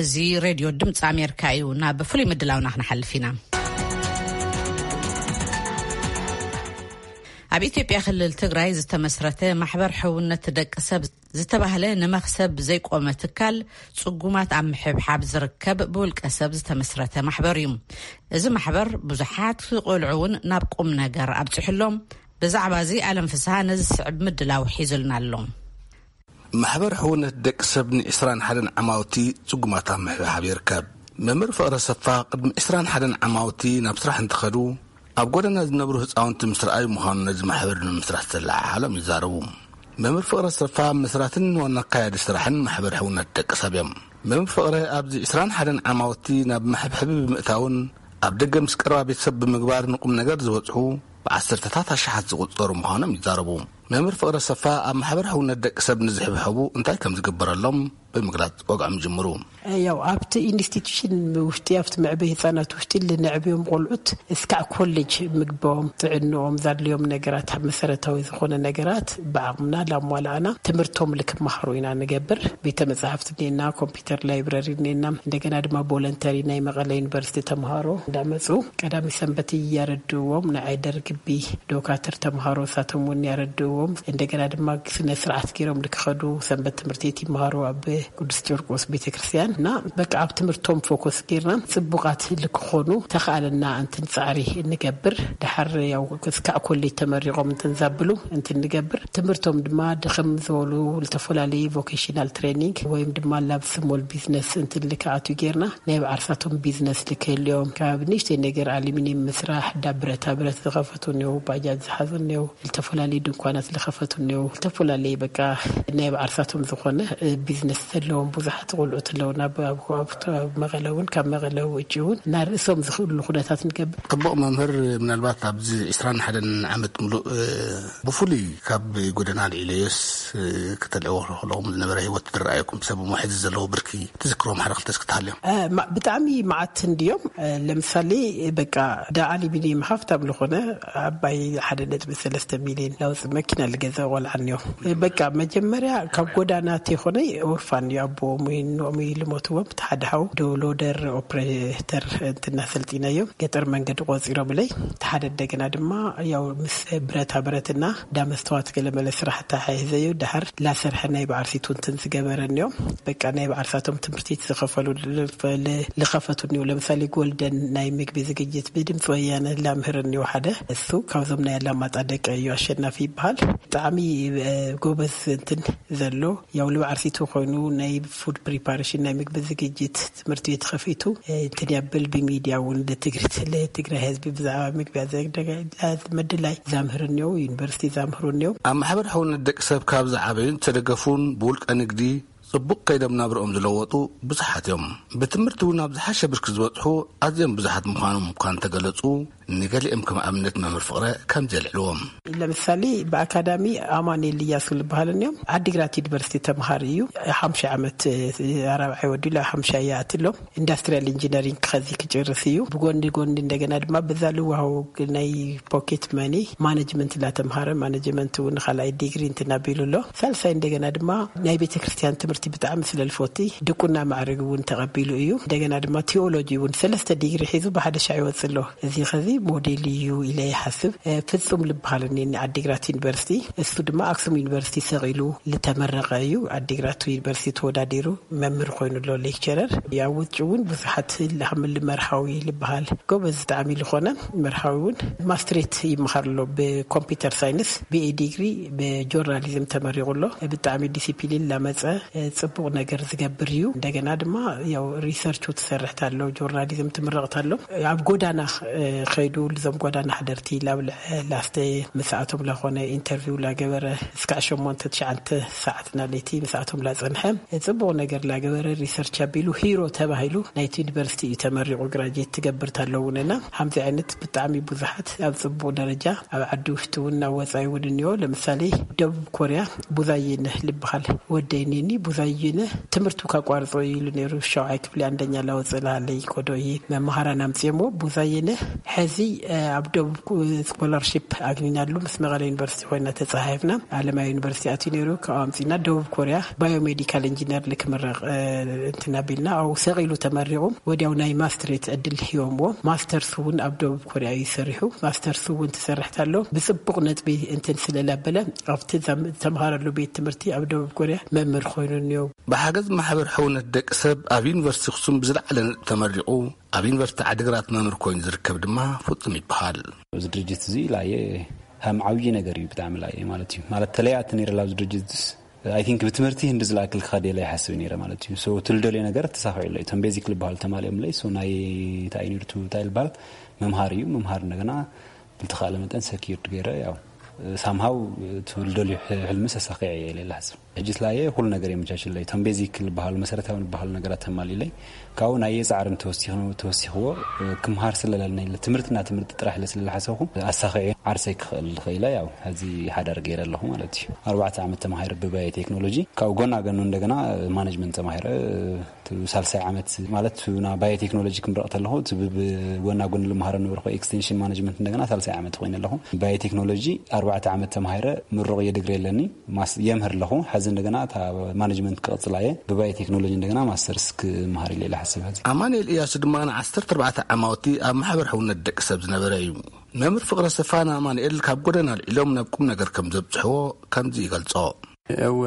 እዚ ሬድዮ ድምፂ ኣሜሪካ እዩ። ናብ ፍሉይ ምድላውና ክንሓልፍ ኢና። ኣብ ኢትዮጵያ ክልል ትግራይ ዝተመስረተ ማሕበር ሕውነት ደቂ ሰብ ዝተባህለ ንመኽሰብ ዘይቆመ ትካል ፅጉማት ኣብ ምሕብሓብ ዝርከብ ብውልቀ ሰብ ዝተመስረተ ማሕበር እዩ። እዚ ማሕበር ብዙሓት ቆልዑ እውን ናብ ቁም ነገር ኣብፅሕሎም። ብዛዕባ እዚ ኣለም ፍስሃ ነዚ ዝስዕብ ምድላው ሒዙልና ኣሎ። ማሕበር ሕውነት ደቂ ሰብ ን ዕስራን ሓደን ዓማውቲ ጽጉማት ኣብ ምሕብሓብ ይርከብ። መምህር ፍቕረ ሰፋ ቅድሚ ዕስራን ሓደን ዓማውቲ ናብ ስራሕ እንትኸዱ ኣብ ጎደና ዝነብሩ ህፃውንቲ ምስ ረኣዩ ምዃኑ ነዚ ማሕበር ንምስራሕ ዝተለዓዓሎም ይዛረቡ። መምህር ፍቕረ ሰፋ መስራትን ዋና ኣካያዲ ስራሕን ማሕበር ሕውነት ደቂ ሰብ እዮም። መምህር ፍቕረ ኣብዚ ዕስራን ሓደን ዓማውቲ ናብ መሕብሐቢ ብምእታውን ኣብ ደገ ምስ ቀረባ ቤተሰብ ብምግባር ንቁም ነገር ዝበጽሑ ብዓሰርተታት ኣሽሓት ዝቑጸሩ ምዃኖም ይዛረቡ። መምህር ፍቕረ ሰፋ ኣብ ማሕበር ሕውነት ደቂ ሰብ ንዝሕብሐቡ እንታይ ከም ዝግበረሎም ብምግላጽ ወግዖም ይጅምሩ። ያው ኣብቲ ኢንስቲትዩሽን ውሽጢ ኣብቲ መዕበይ ህፃናት ውሽጢ ልንዕብዮም ቆልዑት እስካዕ ኮሌጅ ምግቦም ጥዕንኦም ዛድልዮም ነገራት መሰረታዊ ዝኾነ ነገራት ብዓቕምና ላሟላእና ትምህርቶም ልክመሃሩ ኢና ንገብር። ቤተ መጽሓፍቲ እኔና፣ ኮምፒውተር ላይብረሪ እኔና፣ እንደገና ድማ ቮለንተሪ ናይ መቐለ ዩኒቨርሲቲ ተምሃሮ እንዳመፁ ቀዳሚ ሰንበት እያረድዎም ንዓይ ደርግቢ ዶካትር ተምሃሮ ሳቶም እውን ያረድዎም። እንደገና ድማ ስነ ስርዓት ገይሮም ልክኸዱ ሰንበት ትምህርቲ ቤት ይመሃሩ ኣብ ቅዱስ ጨርቆስ ቤተክርስትያን እና በቃ ኣብ ትምህርቶም ፎኮስ ገይርና ጽቡቓት ልክኾኑ ተኸኣለና እንትን ጻዕሪ እንገብር። ድሓር ያው እስካዕ ኮሌጅ ተመሪቖም እንትን ዛብሉ እንትን ንገብር። ትምህርቶም ድማ ድኽም ዝበሉ ዝተፈላለዩ ቮኬሽናል ትሬኒንግ ወይም ድማ ላብ ስሞል ቢዝነስ እንትን ልክኣቱ ገይርና ናይ ብዓርሳቶም ቢዝነስ ልክህልዮም ካብ ንእሽተይ ነገር ኣሉሚኒየም ምስራሕ ዳ ብረታ ብረት ዝኸፈቱ እኒው ባጃጅ ዝሓዙ እኒው ዝተፈላለዩ ድንኳናት ዝኸፈቱ እኒው ዝተፈላለዩ በቃ ናይ ብዓርሳቶም ዝኾነ ቢዝነስ ዘለዎም ብዙሓት ቆልዑት ኣለውና። ኣብ መቐለ እውን ካብ መቐለ ውጭ እውን እና ርእሶም ዝኽእሉ ኩነታት ንገብር። ጽቡቕ መምህር፣ ምናልባት ኣብዚ ዕስራን ሓደን ዓመት ምሉእ ብፍሉይ ካብ ጎደና ልዒለዮስ ክተልዕዎ ከለኹም ዝነበረ ህይወት ዝረኣየኩም ሰብ ሞሒዝ ዘለዎ ብርኪ ትዝክሮም ሓደ ክልተ እስክትሃልዮም? ብጣዕሚ መዓት እንድዮም። ለምሳሌ በቃ ዳ ኣሉሚኒየም ሃፍታም ዝኾነ ኣባይ ሓደ ነጥቢ ሰለስተ ሚሊዮን ላውፂ መኪና ልገዛ ቆልዓ እኒኦ። በቃ መጀመርያ ካብ ጎዳና ተይኮነ ኦርፋን እዩ ኣቦኦም ወይ እኖኦም እዩ ልሞትዎም። እቲ ሓደ ሓው ዶ ሎደር ኦፕሬተር እንትን ኣሰልጢናዮም ገጠር መንገዲ ቆፂሮምለይ። እቲ ሓደ እንደገና ድማ ያው ምስ ብረታ ብረትና ዳ መስተዋት ገለመለ ስራሕ ተሓሒዘዮ ድሓር ላሰርሐ ናይ ብዓርሲቱ እንትን ዝገበረ እኒኦም። በቃ ናይ ብዓርሳቶም ትምህርቲ ዝኸፈሉ ዝኸፈቱ እኒው። ለምሳሌ ጎልደን ናይ ምግቢ ዝግጅት ብድምፂ ወያነ ላምህር እኒው ሓደ እሱ ካብዞም ናይ ኣላማጣ ደቂ እዩ ኣሸናፊ ይበሃል። ብጣዕሚ ጎበዝ እንትን ዘሎ ያው ልብ ዓርሲቱ ኮይኑ ናይ ፉድ ፕሪፓሬሽን ናይ ምግቢ ዝግጅት ትምህርቲ ቤት ከፊቱ እንትን ያብል ብሚዲያ እውን ለትግሪት ለትግራይ ህዝቢ ብዛዕባ ምግቢ ምድላይ ዛምህር እኒው ዩኒቨርሲቲ ዛምህሩ እኒው። ኣብ ማሕበር ሕውነት ደቂ ሰብ ካብ ዝዓበዩን ዝተደገፉን ብውልቀ ንግዲ ጽቡቕ ከይዶም ናብርኦም ዝለወጡ ብዙሓት እዮም። ብትምህርቲ እውን ኣብ ዝሓሸ ብርኪ ዝበጽሑ ኣዝዮም ብዙሓት ምዃኖም እኳ እንተገለጹ፣ ንገሊኦም ከም ኣብነት መምህር ፍቕረ ከምዚ የልዕልዎም። ለምሳሌ ብኣካዳሚ ኣማኑኤል እያሱ ዝበሃሉ እዮም። ዓዲግራት ዩኒቨርሲቲ ተምሃሪ እዩ። ሓምሻ ዓመት ራብዓይ ወዲሉ ሓምሻ እያ ኣትሎም። ኢንዱስትሪያል ኢንጂነሪንግ ከዚ ክጭርስ እዩ። ብጎኒ ጎኒ እንደገና ድማ ብዛ ልዋሃው ናይ ፖኬት መኒ ማኔጅመንት ላተምሃረ ማኔጅመንት እውን ካልኣይ ዲግሪ እንትናቢሉ ኣሎ። ሳልሳይ እንደገና ድማ ናይ ቤተ ክርስቲያን ትምህርቲ ብጣዕሚ ስለልፎቲ ድቁና ማዕረግ እውን ተቐቢሉ እዩ። እንደገና ድማ ቴዎሎጂ እውን ሰለስተ ዲግሪ ሒዙ ብሓደ ሻዕ ይወፅእ ኣሎ። እዚ ኸዚ ሞዴል እዩ ኢለ ይሓስብ። ፍጹም ልበሃል እኒ ዓዲግራት ዩኒቨርሲቲ፣ እሱ ድማ ኣክሱም ዩኒቨርሲቲ ሰቒሉ ልተመረቐ እዩ። ዓዲግራት ዩኒቨርሲቲ ተወዳዲሩ መምህር ኮይኑ ኣሎ፣ ሌክቸረር። ኣብ ውጭ እውን ብዙሓት ላምል መርሃዊ ልበሃል ጎበዝ ብጣዕሚ ዝኾነ መርሃዊ እውን ማስትሬት ይመሃር ኣሎ ብኮምፒውተር ሳይንስ፣ ቢኤ ዲግሪ ብጆርናሊዝም ተመሪቑ ኣሎ። ብጣዕሚ ዲሲፕሊን ላመፀ፣ ፅቡቕ ነገር ዝገብር እዩ። እንደገና ድማ ያው ሪሰርቹ ትሰርሕት ኣሎ፣ ጆርናሊዝም ትምረቕት ኣሎ። ኣብ ጎዳና ከይዱ ልዞም ጎዳና ሓደርቲ ላብልዐ ላስተ ምስኣቶም ላኾነ ኢንተርቪው ላገበረ እስካዕ ሸሞንተ ትሽዓንተ ሰዓት ናለይቲ ምስኣቶም ላጸንሐ ጽቡቕ ነገር ላገበረ ሪሰርች ኣቢሉ ሂሮ ተባሂሉ ናይቲ ዩኒቨርሲቲ እዩ ተመሪቑ ግራጅዌት ትገብር ታለውንና። ሓምዚ ዓይነት ብጣዕሚ ብዙሓት ኣብ ጽቡቕ ደረጃ ኣብ ዓዲ ውሽጢ እውን ናብ ወጻኢ እውን እኒኦ። ለምሳሌ ደቡብ ኮርያ ቡዛይነ ልበሃል ወደይ ኔኒ ቡዛይነ ትምህርቱ ካቋርጾ ኢሉ ነይሩ። ሸውዓይ ክፍሊ ኣንደኛ ላወጽእ ላለይ ኮዶ እየ መምሃራን ኣምጽኦሞ። ቡዛይነ ሕዚ ኣብ ደቡብ ስኮላርሺፕ ኣግኒናሉ ምስ መቐለ ዩኒቨርሲቲ ኮይና ተጻሓፍና። ኣለማይ ዩኒቨርሲቲ ኣትዩ ነይሩ። ካብ ኣምጺና ደቡብ ኮርያ ባዮሜዲካል ኢንጂነር ልክምረቕ እንትና ቢልና ኣብኡ ሰቒሉ ተመሪቑ። ወዲያው ናይ ማስትሬት ዕድል ሂቦምዎ። ማስተርስ እውን ኣብ ደቡብ ኮርያ እዩ ሰሪሑ። ማስተርስ እውን ትሰርሕት ኣሎ ብጽቡቕ ነጥቢ እንትን ስለላበለ ኣብቲ ተምሃረሉ ቤት ትምህርቲ ኣብ ደቡብ ኮርያ መምህር ኮይኑ እኒኦ። ብሓገዝ ማሕበር ሕውነት ደቂ ሰብ ኣብ ዩኒቨርሲቲ ኣክሱም ብዝለዓለ ነጥቢ ተመሪቑ ኣብ ዩኒቨርሲቲ ዓዲግራት መምህር ኮይኑ ዝርከብ ድማ ፍጹም ይበሃል። እዚ ድርጅት እዚ ላየ ሃም ዓብዪ ነገር እዩ። ብጣዕሚ ላየ ማለት እዩ። ማለት ተለያት ነይረ ኣብዚ ድርጅት ስ ኣይ ቲንክ ብትምህርቲ ህንዲ ዝለኣክል ክኸድ የለ ይሓስብ ነይረ ማለት እዩ። ሶ ትልደልዮ ነገር ተሳኺዑ ኣሎ። እቶም ቤዚክ ዝበሃሉ ተማሊኦም ለይ ሶ ናይ እንታይ ዩኒቨርሲቲ እንታይ ዝበሃል መምሃር እዩ። መምሃር እንደገና ብልተኻእለ መጠን ሰኪርድ ገይረ ያው ሳምሃው ትልደልዩ ሕልሚ ሰሳኺዐ እየ ኢለ ይሓስብ። ሕጂ ስላየ ኩሉ ነገር የመቻችለይ። እቶም ቤዚክ ዝበሃሉ መሰረታዊ ዝበሃሉ ነገራት ተማሊለይ ካብኡ ናይ የፃዕርን ተወሲኽዎ ክምሃር ስለለለኒ ትምህርትና ትምህርቲ ጥራሕ ኢለ ስለዝሓሰብኩ ኣሳኺዐ ዓርሰይ ክኽእል ዝኽኢለ ያው ሕዚ ሓዳር ገይረ ኣለኹ ማለት እዩ። ኣርባዕተ ዓመት ተማሂረ ብባዮ ቴክኖሎጂ ካብኡ ጎና ገኑ እንደገና ማኔጅመንት ተማሂረ ሳልሳይ ዓመት ማለት ና ባዮ ቴክኖሎጂ ክምረቕ ተለኹ ብጎና ጎኒ ልምሃረ ነበርኩ ኤክስቴንሽን ማኔጅመንት እንደገና ሳልሳይ ዓመት ኮይነ ኣለኹ። ባዮ ቴክኖሎጂ ኣርባዕተ ዓመት ተማሂረ ምሩቕ እየ ድግሪ ኣለኒ የምህር ኣለኹ። ሕዚ እንደገና እታ ማኔጅመንት ክቕፅላ እየ ብባዮ ቴክኖሎጂ እንደገና ማስተርስ ክምሃር ኢለ ኢለ ሓስብ። ሕዚ ኣማኑኤል እያሱ ድማ ንዓሰርተ ኣርባዕተ ዓማውቲ ኣብ ማሕበር ሕውነት ደቂ ሰብ ዝነበረ እዩ። መምህር ፍቕረ ሰፋን ኣማኑኤል ካብ ጎደና ኣልዒሎም ናብ ቁም ነገር ከም ዘብፅሕዎ ከምዚ ይገልፆ። እወ፣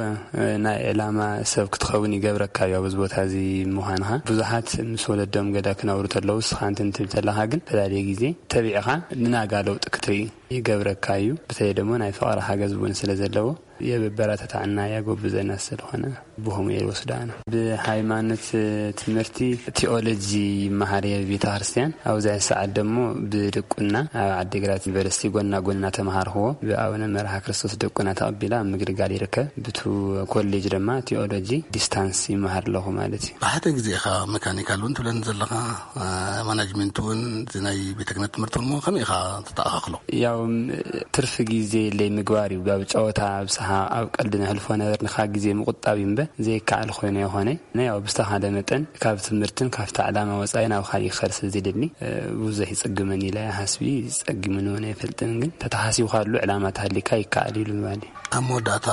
ናይ ዕላማ ሰብ ክትኸውን ይገብረካ እዩ። ኣብዚ ቦታ እዚ ምዃንኻ ብዙሓት ምስ ወለዶም ገዳ ክነብሩ ተለዉ እስኻ እንትን ትብል ተለኻ ግን ፈላልየ ግዜ ተቢዕኻ ንናጋ ለውጢ ክትርኢ ይገብረካ እዩ። ብተለይ ደሞ ናይ ፍቕሪ ሓገዝ እውን ስለ ዘለዎ የበረታትዓና ያጎብዘና ስለኾነ ብኸምኡ እየ ዝወስዶ ኣነ። ብሃይማኖት ትምህርቲ ቲኦሎጂ ይመሃር እየ ቤተ ክርስቲያን። ኣብዚ ሰዓት ደሞ ብድቁና ኣብ ዓዲግራት ዩኒቨርሲቲ ጎና ጎኒ እናተምሃርክዎ ብኣቡነ መርሃ ክርስቶስ ድቁና ተቐቢለ ኣብ ምግልጋል ይርከብ። ብቱ ኮሌጅ ድማ ቲኦሎጂ ዲስታንስ ይመሃር ኣለኹ ማለት እዩ። ብሓደ ግዜ ኢኻ መካኒካል እውን ትብለኒ ዘለኻ ማናጅመንት እውን ናይ ቤተ ክህነት ትምህርቲ እውን ከመይ ኢኻ ተተኣኻኽሎ? ያው ትርፊ ግዜ የለይ ምግባር እዩ። ኣብ ጨወታ ኣብ ሰሓቕ ኣብ ቀልዲ ነሕልፎ ነበርና። ካብ ግዜ ምቑጣብ እዩ እምበር ዘይከኣል ኮይኑ ኣይኮነይ። ናይ ያው ብዝተኻለ መጠን ካብ ትምህርትን ካብቲ ዕላማ ወጻኢ ናብ ካሊእ ክኸድ ስለ ዘድሊ ብዙሕ ይጽግመኒ ኢለ ሓስቢ። ጸጊሙኒ እውን ኣይፈልጥን፣ ግን ተተሓሲብካሉ ዕላማ ተሃሊካ ይከኣል እዩ ንምባል እዩ። ኣብ መወዳእታ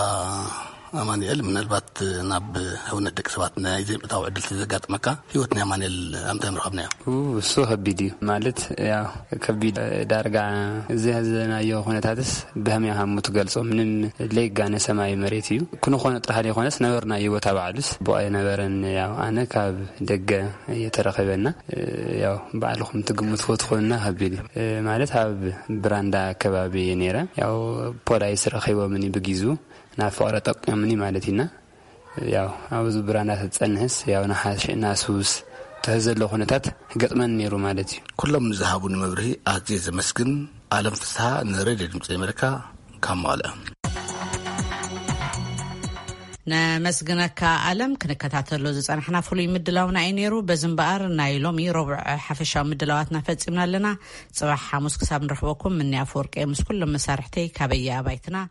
ኣማኑኤል፣ ምናልባት ናብ ሕውነት ደቂ ሰባት ናይ ዘይምእታው ዕድል ተዘጋጥመካ፣ ህይወት ናይ ኣማኑኤል ኣምታይ ምረኸብናዮ? እሱ ከቢድ እዩ ማለት ያው ከቢድ ዳርጋ እዚ ሕዘናዮ ኩነታትስ ብህምያ ሃሙ ትገልጾ ምንም ለይጋነ ሰማይ መሬት እዩ። ክንኾነ ጥራሕ ዘይኮነስ ነበርናዮ ቦታ ባዕሉስ ብቐ ነበረን። ያው ኣነ ካብ ደገ እየተረኸበና ያው ባዕልኹም ትግምትዎ ትኾንና ከቢድ እዩ ማለት ኣብ ብራንዳ ከባቢ እየ ነይረ። ያው ፖላይስ ረኺቦምኒ ብጊዙ ናብ ፍቕረ ጠቂምኒ ማለት ኢና። ያው ኣብዚ ብራና ተጸንሕስ ያው ንሓሽ ናስውስ ተህ ዘሎ ኩነታት ገጥመን ነይሩ ማለት እዩ። ኩሎም ንዝሃቡኒ መብርሂ ኣዝየ ዘመስግን። ኣለም ፍስሓ ንሬድዮ ድምፂ ኣሜሪካ ካብ መቐለ። ነመስግነካ ኣለም። ክንከታተሎ ዝጸናሕና ፍሉይ ምድላውና እዩ ነይሩ። በዚ እምበኣር ናይ ሎሚ ረቡዕ ሓፈሻዊ ምድላዋትና ፈጺምና ኣለና። ጽባሕ ሓሙስ ክሳብ ንረኽበኩም፣ ምኒ ኣፈወርቂ ምስ ኩሎም መሳርሕተይ ካበየ ኣባይትና